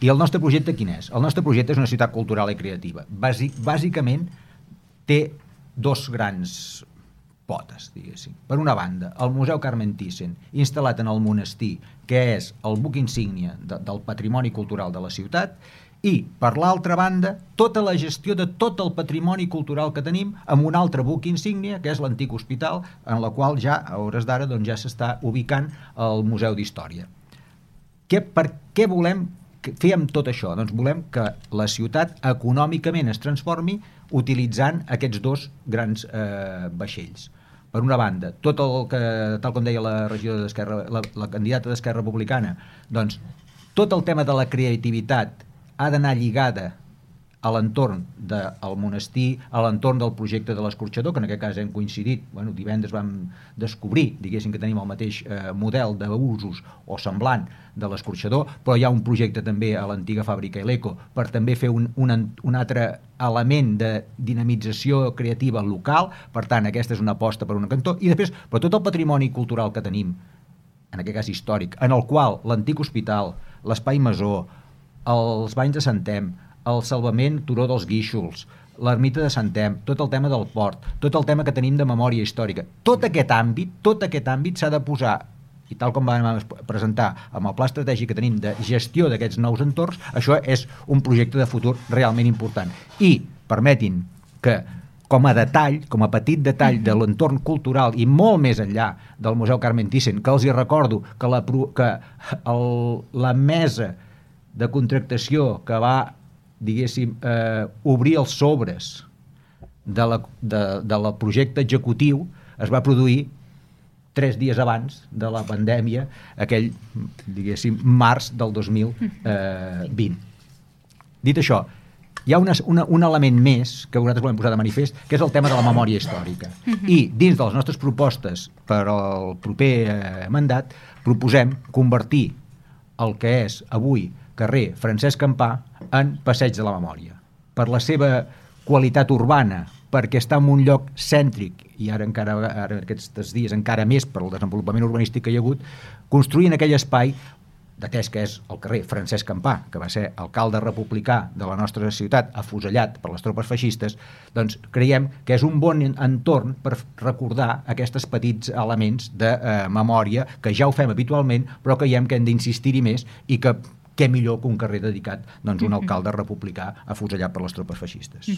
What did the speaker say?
I el nostre projecte quin és? El nostre projecte és una ciutat cultural i creativa. Bàsicament té dos grans potes, diguéssim. Per una banda, el Museu Carmen Thyssen, instal·lat en el monestir, que és el buc insígnia del patrimoni cultural de la ciutat, i, per l'altra banda, tota la gestió de tot el patrimoni cultural que tenim amb un altre buc insígnia, que és l'antic hospital, en la qual ja, a hores d'ara, doncs, ja s'està ubicant el Museu d'Història. Per què volem fer amb tot això? Doncs volem que la ciutat econòmicament es transformi utilitzant aquests dos grans vaixells. Per una banda, tot el que, tal com deia la regidora d'Esquerra, la candidata d'Esquerra Republicana, doncs tot el tema de la creativitat ha d'anar lligada a l'entorn del monestir, a l'entorn del projecte de l'escorxador, que en aquest cas hem coincidit, divendres vam descobrir, diguéssim, que tenim el mateix model d'usos o semblant de l'escorxador, però hi ha un projecte també a l'antiga fàbrica Eleco per també fer un altre element de dinamització creativa local. Per tant, aquesta és una aposta per un cantó, i després, però tot el patrimoni cultural que tenim, en aquest cas històric, en el qual l'antic hospital, l'espai Masó, els banys de Santem, el salvament Turó dels Guíxols, l'ermita de Santem, tot el tema del port, tot el tema que tenim de memòria històrica, tot aquest àmbit s'ha de posar, i tal com vam presentar amb el pla estratègic que tenim de gestió d'aquests nous entorns, això és un projecte de futur realment important. I permetin que, com a detall, com a petit detall de l'entorn cultural i molt més enllà del Museu Carmen Thyssen, que els hi recordo que la mesa de contractació que va, diguéssim, obrir els sobres del projecte executiu es va produir 3 dies abans de la pandèmia, aquell, diguéssim, març del 2020. Dit això, hi ha un element més que nosaltres volem posar de manifest, que és el tema de la memòria històrica. I dins de les nostres propostes per al proper mandat proposem convertir el que és avui carrer Francesc Campà en Passeig de la Memòria. Per la seva qualitat urbana, perquè està en un lloc cèntric, i ara aquests dies encara més per al desenvolupament urbanístic que hi ha hagut, construir en aquell espai, atès que és el carrer Francesc Campà, que va ser alcalde republicà de la nostra ciutat, afusellat per les tropes feixistes, doncs creiem que és un bon entorn per recordar aquests petits elements de memòria, que ja ho fem habitualment, però creiem que hem d'insistir-hi més, i que què millor que un carrer dedicat a un alcalde republicà afusellat per les tropes feixistes.